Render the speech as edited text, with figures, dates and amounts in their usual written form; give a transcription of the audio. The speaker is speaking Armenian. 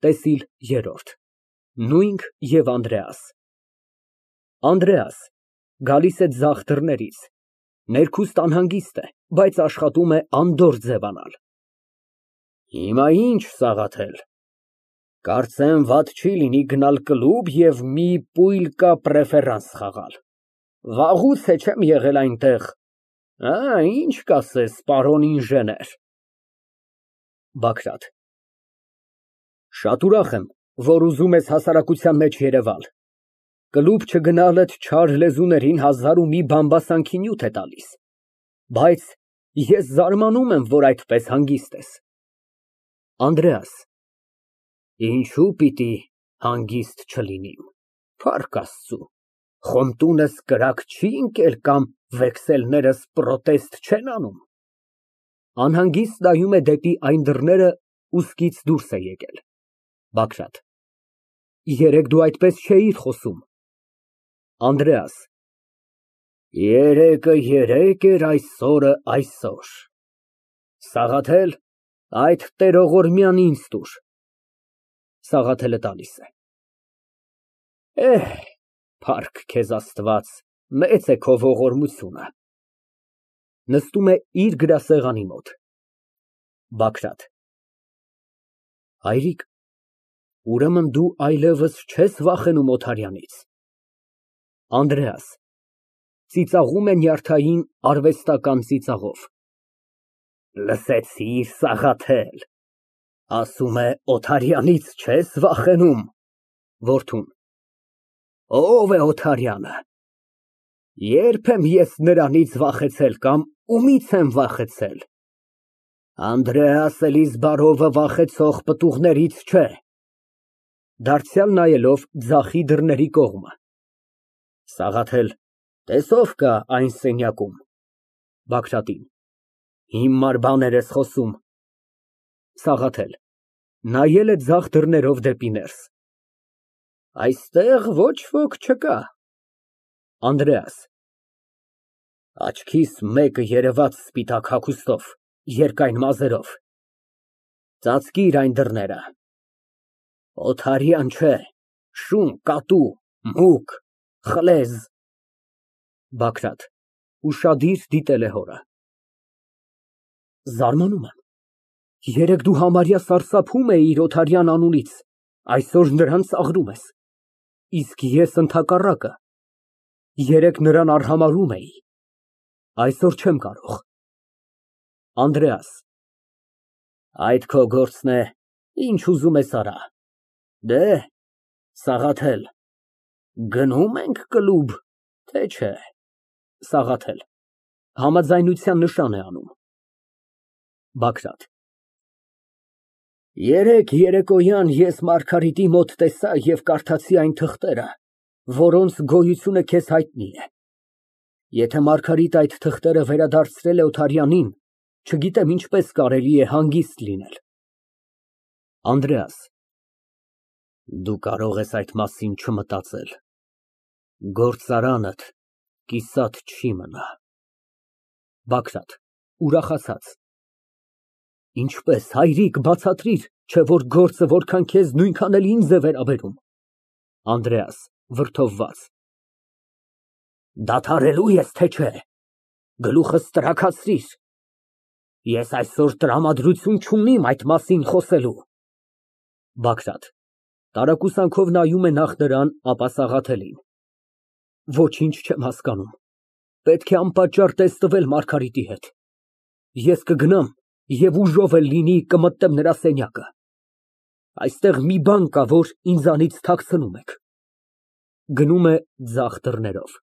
ՏԵՍԻԼ ԵՐՐՈՐԴ Նույնք և Անդրեաս ԱՆԴՐԵԱՍ ֊ Գալիս է ձախ դռներից, ներքուստ անհանգիստ է, բայց աշխատում է անդորր ձևանալ։ Հիմա ի՞նչ, Սաղաթել, կարծեմ, վատ չի լինի գնալ կլուբ և մի պույլկա պրեֆերանս խաղալ, վաղուց է չեմ եղել այնտեղ, ինչ կասես, պարոն ինժեներ։ ԲԱԳՐԱՏ ֊ Շատ ուրախ եմ, որ ուզում ես հասարակության մեջ երևալ, կլուբ չգնալդ չար լեզուներին հազար ու մի բամբասանքի նյութ է տալիս, բայց ես զարմանում եմ, որ այդպես հանգիստ ես։ ԱՆԴՐԵԱՍ ֊ Ինչու պիտի հանգիստ չլինիմ, փառք Աստծու, խոմտունս կրակ չի ընկել կամ վեքսելներս պրոտեստ չեն անում։ (Անհանգիստ նայում է դեպի այն դռները, ուսքից դուրս է եկել)։ ԲԱԳՐԱՏ ֊ Երեկ դու այդպես չէիր խոսում։ ԱՆԴՐԵԱՍ ֊ Երեկը երեկ էր, այսօրը այսօր։ Սաղաթել, այդ տերողորմյան ինձ տուր։ (Սաղաթելը տալիս է)։ Փառք քեզ Աստված, մեծ է քո ողորմությունը։ (Նստում է իր գրասեղանի մոտ)։ ԲԱԳՐԱՏ ֊ Հայրիկ, ուրեմն դու այլևս չես վախենում Օթարյանից։ ԱՆԴՐԵԱՍ ֊ (Ծիծաղում է նյարդային արհեստական ծիծաղով) Լսեցի՞ր, Սաղաթել, ասում է Օթարյանից չես վախենում։ (Որդուն) Ո՞վ է Օթարյանը։ Ե՞րբ եմ ես նրանից վախեցել կամ ումի՞ց եմ վախեցել։ Անդրեաս Էլիզբարովը վախեցող պտուղներից չէ։ (Դարձյալ նայելով ձախի դռների կողմը) Սաղաթել, տես ով կա այն սենյակում։ (Բագրատին) Հիմար բաներ ես խոսում։ ՍԱՂԱԹԵԼ ֊ (Նայել է ձախ դռներով դեպի ներս) Այստեղ ոչ ոք չկա։ ԱՆԴՐԵԱՍ ֊ Աչքիս մեկը երևաց սպիտակ հագուստով, երկայն մազերով, ծածկիր այն դռները։ Օթարյան չէ, շուն, կատու, մուգ, խլեզ։ ԲԱԳՐԱՏ ֊ (Ուշադիր դիտել է հորը) Զարմանում եմ, երեկ դու համարյա սարսափում էիր Օթարյան անունից, այսօր նրան ծաղրում ես, իսկ ես ընդհակառակը, երեկ նրան արհամարհում էի, այսօր չեմ կարող։ ԱՆԴՐԵԱՍ ֊ Այդ քո գործն է, ինչ ուզում ես արա։ Դեհ, Սաղաթել, գնո՞ւմ ենք կլուբ, թե չէ։ ՍԱՂԱԹԵԼ ֊ (Համաձայնության նշան է անում) ԲԱԳՐԱՏ ֊ Երեկ երեկոյան ես Մարգարիտի մոտ տեսա և կարդացի այն թղթերը, որոնց գոյությունը քեզ հայտնի է։ Եթե Մարգարիտն այդ թղթերը վերադարձրել է Օթարյանին, չգիտեմ ինչպես կարելի է հանգիստ լինել։ ԱՆԴՐԵԱՍ ֊ Դու կարող ես այդ մասին չմտածել, գործարանդ կիսատ չի մնա։ ԲԱԳՐԱՏ ֊ (Ուրախացած) Ինչպես, հայրիկ, բացատրիր, չէ որ գործը որքան քեզ, նույնքան էլ ինձ է վերաբերում։ ԱՆԴՐԵԱՍ ֊ (Վրդովված) Դադարելո՞ւ ես, թե չէ։ Գլուխս տրաքացրիր, ես այսօր տրամադրություն չունիմ այդ մասին խոսելու։ ԲԱԳՐԱՏ ֊ (Տարակուսանքով նայում է նախ նրան, ապա Սաղաթելին) Ոչինչ չեմ հասկանում, պետք է անպատճառ տեսնվել Մարգարիտի հետ։ Ես կգնամ և ուժով էլ լինի կմտնեմ նրա սենյակը։ Այստեղ մի բան կա, որ ինձանից թաքցնում եք։ (Գնում է ձախ դռներով)։